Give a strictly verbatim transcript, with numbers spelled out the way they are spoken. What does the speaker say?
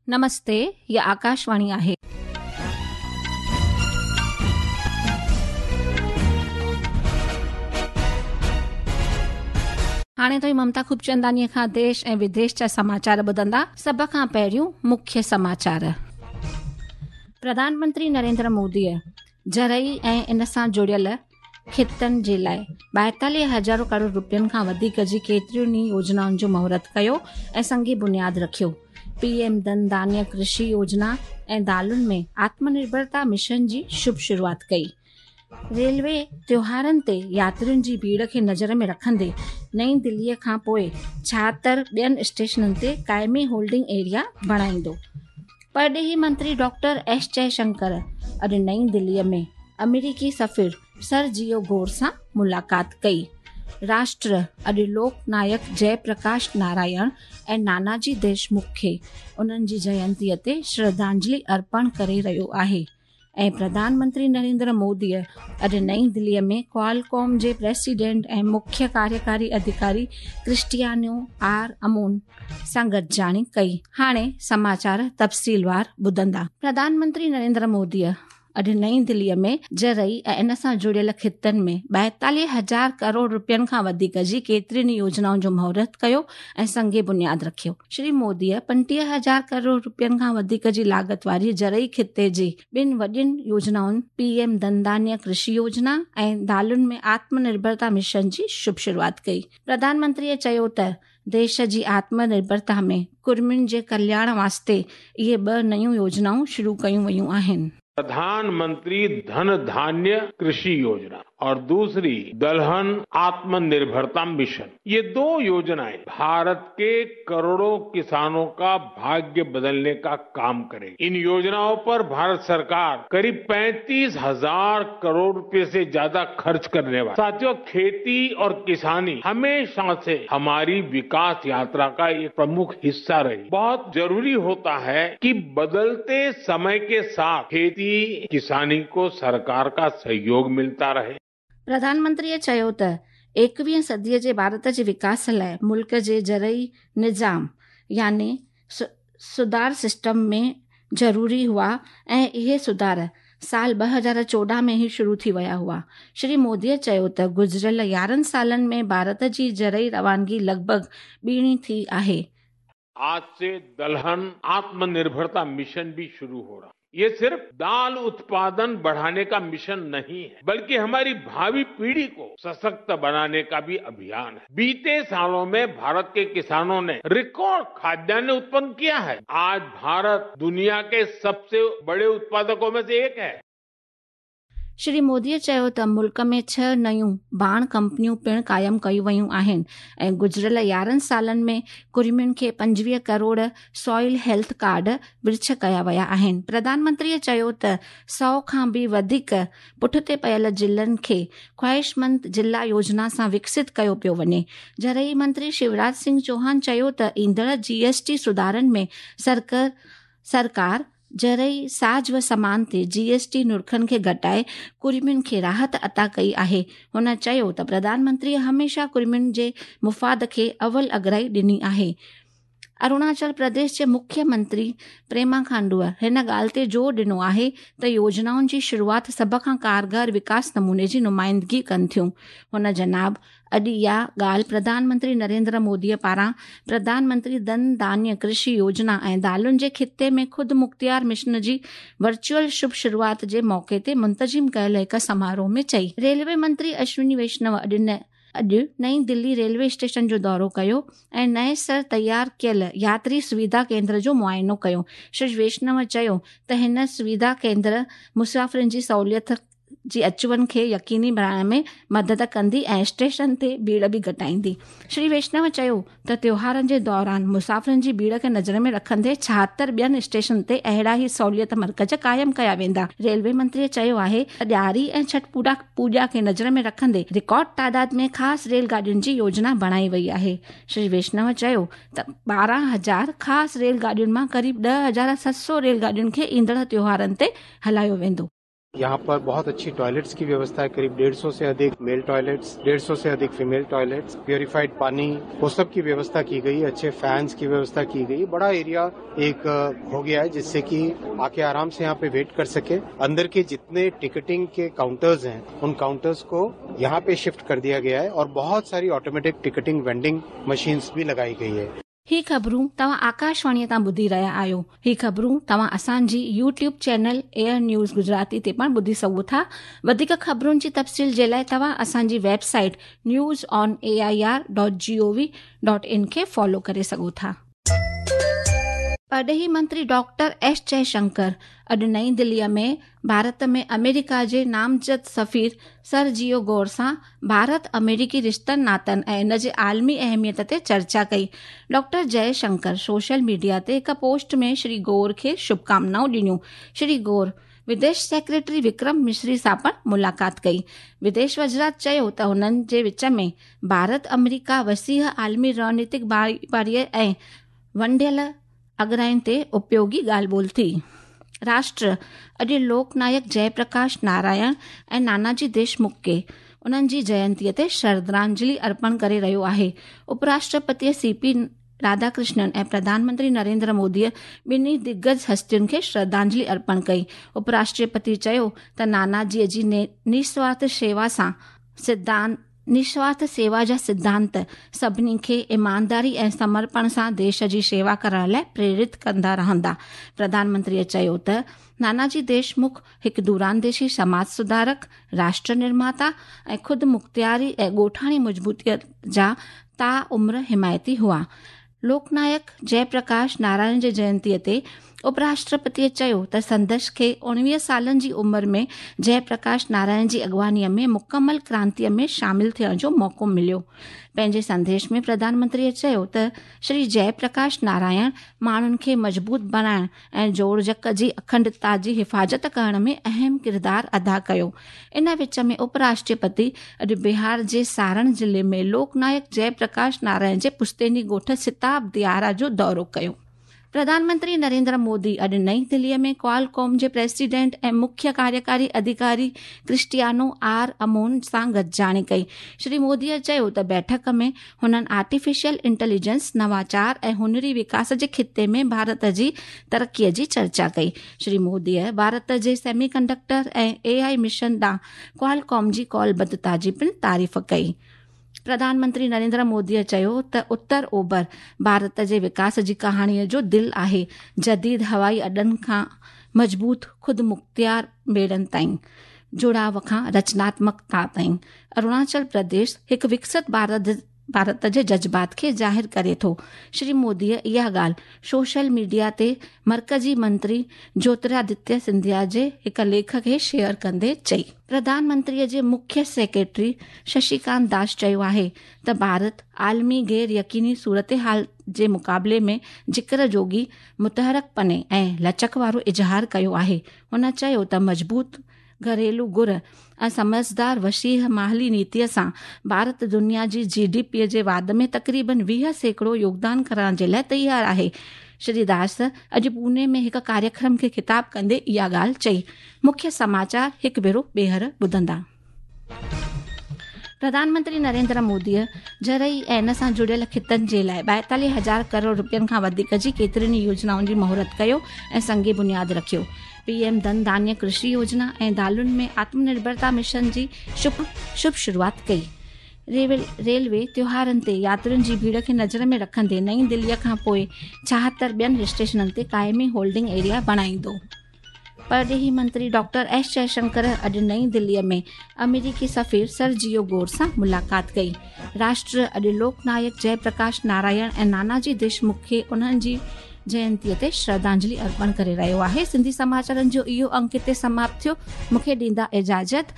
नमस्ते, हीअ आकाशवाणी आहे. हाणे तव्हीं ममता खूबचंदानीअ खां देश ऐं विदेश जा समाचार ॿुधंदा. सभ खां पहिरियों मुख्य समाचार. प्रधानमंत्री नरेंद्र मोदीअ ज़रई ऐं इन सां जुड़ियल खितनि जे लाइ ॿाएतालीह हज़ार करोड़ रुपयनि खां वधीक जी केतिरियुनि ई योजनाउनि जो मुहूर्त कयो ऐं संगी बुनियाद रखियो. पीएम धन धान्य कृषि योजना ऐं दालुनि में आत्मनिर्भरता मिशन जी शुभ शुरूआत कई. रेलवे त्योहारनि ते यात्रियुनि जी भीड़ खे नज़र में रखंदे नई दिल्लीअ खां पोइ छाहतरि ॿियनि स्टेशननि ते क़ाइमी होल्डिंग एरिया बणाईंदो. परॾेही मंत्री डॉक्टर एस जयशंकर अॼु नई दिल्लीअ में अमेरिकी सफ़ीर सरजियो गोर सां मुलाक़ात कई. राष्ट्र अॼु लोकनायक जयप्रकाश नारायण ऐं नानाजी देशमुख खे उन्हनि जी जयंतीअ ते श्रद्धांजलि अर्पण करे रहियो आहे. ऐं प्रधानमंत्री नरेंद्र मोदीअ अॼु नई दिल्लीअ में क्वालकॉम जे प्रेसिडेंट ऐं मुख्य कार्यकारी अधिकारी क्रिस्टियानो are अमोन सां गॾिजाणी कई. हाणे समाचार तफ़सीलवार ॿुधंदा. प्रधानमंत्री नरेंद्र मोदीअ अॼु नई दिल्लीअ में ज़रई ऐं इन सां जुड़ियल खितनि में ॿाएतालीह हज़ार करोड़ रुपयनि खां वधीक जी केतिरियुनि योजनाउनि जो मुहूर्त कयो ऐं संगे बुनियाद रखियो. श्री मोदीअ पंटीह हज़ार करोड़ रुपयनि खां वधीक जी लागत वारी ज़रई खिते जी ॿिनि वॾियुनि योजनाउनि पीएम धन धान्य कृषि योजना ऐं दालुनि में आत्मनिर्भरता मिशन जी शुभ शुरूआत कई. प्रधानमंत्रीअ चयो त देश जी आत्मनिर्भरता में कुर्मियुनि जे कल्याण वास्ते इहे ॿ नयूं योजनाऊं शुरू कयूं वयूं आहिनि. प्रधानमंत्री धन धान्य कृषि योजना और दूसरी दलहन आत्मनिर्भरता मिशन, ये दो योजनाएं भारत के करोड़ों किसानों का भाग्य बदलने का काम करेगी. इन योजनाओं पर भारत सरकार करीब पैंतीस हजार करोड़ रुपए से ज्यादा खर्च करने वाली. साथियों, खेती और किसानी हमेशा से हमारी विकास यात्रा का एक प्रमुख हिस्सा रही. बहुत जरूरी होता है कि बदलते समय के साथ खेती किसानी को सरकार का सहयोग मिलता रहे. प्रधानमंत्रीअ चयो त एकवीह सदीअ जे भारत जे विकास लाइ मुल्क जे ज़रई निज़ाम यानी सुधार सिस्टम में ज़रूरी हुआ ऐं इहे सुधार साल ॿ हज़ार चोॾहं में ई शुरू थी विया हुआ. श्री मोदीअ चयो त गुज़िरियल यारहं सालनि में भारत जी ज़रई रवानगी लॻभॻ ॿीणी थी आहे. आज से दलहन आत्मनिर्भरता मिशन भी शुरू हो रहा. ये सिर्फ दाल उत्पादन बढ़ाने का मिशन नहीं है, बल्कि हमारी भावी पीढ़ी को सशक्त बनाने का भी अभियान है. बीते सालों में भारत के किसानों ने रिकॉर्ड खाद्यान्न उत्पन्न किया है. आज भारत दुनिया के सबसे बड़े उत्पादकों में से एक है. श्री मोदीअ चयो त मुल्क में छह नयूं बाण कंपनियूं पिणु क़ाइमु कयूं वयूं आहिनि ऐं गुज़िरियल यारहं सालनि में कुर्मियुनि खे पंजवीह करोड़ सॉइल हेल्थ कार्ड विर्छ कया विया आहिनि. प्रधानमंत्रीअ चयो त सौ खां बि वधीक पुठिते पयल ज़िलनि खे ख़्वाहिशमंद ज़िला योजना सां विकसित कयो पियो वञे. ज़रई मंत्री शिवराज सिंह चौहान चयो त ईंदड़ जीएसटी सुधारनि में सरकार सरकार ज़रई साज़ व सामान ते जीएसटी नुरखनि खे घटाए कुर्मियुनि खे राहत अता कई आहे. हुन चयो त प्रधानमंत्रीअ हमेशह कुर्मियुनि जे मुफ़ाद खे अवल अगराई ॾिनी आहे. अरुणाचल प्रदेश जे मुख्यमंत्री प्रेमा खांडूअ हिन ॻाल्हि ते ज़ोर ॾिनो आहे त योजनाउनि जी शुरूआत सभ खां कारगर विकास नमूने जी नुमाइंदगी कनि थियूं. हुन जनाब अॼु इहा ॻाल्हि प्रधानमंत्री नरेंद्र मोदीअ पारां प्रधानमंत्री धन धान्य कृषि योजना ऐं दालुनि जे खिते में ख़ुदि मुख़्तियार मिशन जी वर्चुअल शुभ शुरूआत जे मौक़े ते मुंतज़िम कयल हिकु समारोह में चई. रेलवे मंत्री अश्विनी वैष्णव अॼु अॼु नई दिल्ली रेलवे स्टेशन जो दौरो कयो ऐं नए सर तयारु कयल यात्री सुविधा केंद्र जो मुआइनो कयो. श्री वैष्णव चयो त हिन सुविधा केंद्र मुसाफ़िरनि जी सहूलियत जी अचु वञ खे यकीनी बणाइण में मदद कंदी ऐं स्टेशन ते भीड़ बि घटाईंदी. श्री वैष्णव चयो त त्योहारनि जे दौरान मुसाफ़िरनि जी भीड़ खे नज़र में रखंदे छाहतरि ॿियनि स्टेशन ते अहिड़ा ई सहूलियत मर्कज़ क़ाइमु कया वेंदा. रेलवे मंत्रीअ चयो आहे त ॾियारी ऐं छठ पूजा पूजा खे नज़र में रखंदे रिकॉर्ड तादाद में ख़ासि रेल गाॾियुनि जी योजना बणाई वई आहे. श्री वैष्णव चयो त ॿारहं हज़ार ख़ासि रेल गाॾियुनि मां क़रीब ॾह हज़ार सत सौ रेल गाॾियुनि खे ईंदड़ त्योहारनि ते हलायो वेंदो. यहाँ पर बहुत अच्छी टॉयलेट्स की व्यवस्था है, करीब डेढ़ सौ से अधिक मेल टॉयलेट्स, डेढ़ सौ से अधिक फीमेल टॉयलेट्स, प्योरीफाइड पानी, वो सब की व्यवस्था की गई, अच्छे फैंस की व्यवस्था की गई। बड़ा एरिया एक हो गया है जिससे कि आके आराम से यहाँ पे वेट कर सके। अंदर के जितने टिकटिंग के काउंटर्स हैं उन काउंटर्स को यहाँ पे शिफ्ट कर दिया गया है और बहुत सारी ऑटोमेटिक टिकटिंग वेंडिंग मशीन्स भी लगाई गई है। ही ख़बरूं तव्हां आकाशवाणीअ तां ॿुधी रहिया आहियो। ही ख़बरूं तव्हां असांजी YouTube channel air news Gujarati ते पिणु ॿुधी सघो था। वधीक ख़बरुनि जी तफ़सील जे लाइ तव्हां असांजी website news on A I R dot G O V dot in खे फॉलो करे सघो था। परॾेही मंत्री डॉक्टर एस जयशंकर अॼु नई दिल्लीअ में भारत में अमेरिका जे नामज़द सफ़ीर सरजियो गौर सां भारत अमेरिकी रिश्तनि नातनि ऐं इन जे आलमी अहमियत ते चर्चा कई। डॉक्टर जयशंकर सोशल मीडिया ते हिकु पोस्ट में श्री गौर खे शुभकामनाऊं ॾिनियूं। श्री गौर विदेश सेक्रेटरी विक्रम मिश्री सां पिणु मुलाक़ात कई। विदेश वज़ारत चयो त हुननि जे विच में भारत अमेरिका वसीह आलमी रणनीतिक भाईवारीअ ऐं वंडियल अगराइनि ते उपयोगी ॻाल्हि ॿोल थी। राष्ट्र अॼु लोकनायक जयप्रकाश नारायण ऐं नानाजी देशमुख खे उन्हनि जी जयंतीअ ते श्रद्धांजलि अर्पण करे रहियो आहे। उपराष्ट्रपतीअ सी पी राधाकृष्णन ऐं प्रधानमंत्री नरेंद्र मोदीअ ॿिन्ही दिग्गज हस्तियुनि खे श्रद्धांजलि अर्पण कई। उपराष्ट्रपति चयो त नानाजीअ जी निस्वार्थ शेवा सां सिद्धांत निस्वार्थ सेवा जा सिद्धांत सभिनी खे ईमानदारी ऐं समर्पण सां देश जी शेवा करण लाइ प्रेरित कंदा रहंदा। प्रधानमंत्रीअ चयो त नानाजी देशमुख हिकु दूरांदेशी समाज सुधारक, राष्ट्र निर्माता ऐं ख़ुदि मुख़्तियारी ऐं ॻोठाणी मज़बूतीअ जा ता उम्र हिमायती हुआ। लोकनायक जयप्रकाश नारायण जे जयंतीअ ते उपराष्ट्रपतीअ चयो त संदसि खे उणिवीह सालनि जी उमिरि में जयप्रकाश नारायण जी अॻुवानीअ में मुकमल क्रांतीअ में शामिल थियण जो मौक़ो मिलियो। पंहिंजे संदेश में प्रधानमंत्रीअ चयो त श्री जयप्रकाश नारायण माण्हुनि खे मज़बूत बणाइण ऐं जोड़जक जी अखंडता जी हिफ़ाज़त करण में अहम किरदारु अदा कयो। इन विच में उपराष्ट्रपति अॼु बिहार जे सारण ज़िले में लोकनायक जयप्रकाश नारायण जे पुश्तैनी ॻोठ सिताब दियारा जो दौरो कयो। प्रधानमंत्री नरेंद्र मोदी अॼु नई दिल्लीअ में क्वालकॉम जे प्रेसिडेंट ऐं मुख्य कार्यकारी अधिकारी क्रिस्टियानो आर अमोन सां गॾिजाणी कई। श्री मोदीअ चयो त बैठक में हुननि आर्टिफिशियल इंटेलिजेंस, नवाचार ऐं हुनरी विकास जे ख़िते में भारत जी तरक़ीअ जी चर्चा कई। श्री मोदीअ भारत जे सेमीकंडक्टर ऐं ए I mission ॾांहुं क्वालकॉम जी कौलबद्धता जी पिणु तारीफ़ कई। प्रधानमंत्री नरेंद्र मोदीअ चयो त उत्तर ओभर भारत जे विकास जी कहाणीअ जो दिलि आहे। जदीद हवाई अॾनि खां मज़बूत ख़ुदि मुख़्तियार ॿेड़नि ताईं, जुड़ाव खां रचनात्मकता ताईं अरुणाचल प्रदेश हिकु विकसित भारत भारत जे जज़्बात खे ज़ाहिर करे थो। श्री मोदीअ इहा ॻाल्हि सोशल मीडिया ते मर्कज़ी मंत्री ज्योतिरादित्य सिंधिया जे हिकु लेख खे शेयर कंदे चई। प्रधानमंत्रीअ जे मुख्य सेक्रेटरी शशिकांत दास चयो आहे त भारत आलमी गैर यकीनी सूरत हाल जे मुक़ाबले में ज़िक्र जोगी मुतहरक पने ऐं लचक वारो इज़हार कयो आहे। हुन चयो त मज़बूत घरेलू गुर ऐं समझदार वसीह माली नीतीअ सां भारत दुनिया जी जी डी पीअ जे वाध में तक़रीबन वीह सैकड़ो योगदान करण जे लाइ तयारु आहे। श्री दास अॼु पुणे में हिकु कार्यक्रम खे ख़िताब कंदे इहा ॻाल्हि चई। मुख्य समाचार हिकु भेरो ॿीहर ॿुधंदा। प्रधानमंत्री नरेंद्र मोदीअ ज़रई ऐं इन सां जुड़ियल ख़ितनि जे लाइ ॿाएतालीह हज़ार करोड़ रुपयनि खां वधीक जी केतिरनि ई योजनाउनि जी मुहूर्त कयो ऐं संग बुनियाद रखियो। पीएम धन धान्य कृषि योजना ऐं दालुनि में आत्मनिर्भरता मिशन जी शुभ शुभ शुरुआत कई। रेलवे रेलवे त्योहारनि ते यात्रियुनि जी भीड़ खे नज़र में रखंदे नई दिल्लीअ खां पोइ छाहतरि ॿियनि स्टेशननि ते क़ाइमी होल्डिंग एरिया बणाईंदो। परॾेही मंत्री डॉक्टर एस जयशंकर अॼु नई दिल्लीअ में अमेरिकी सफ़ीर सरजियो गौर सां मुलाक़ात कई। राष्ट्र अॼु लोकनायक जयप्रकाश नारायण ऐं नानाजी देशमुख खे उन्हनि जी जयंतीअ ते श्रद्धांजलि अर्पण करे रहियो आहे। सिंधी समाचारनि जो इहो अंक हिते समाप्त थियो। मूंखे ॾींदा इजाज़त।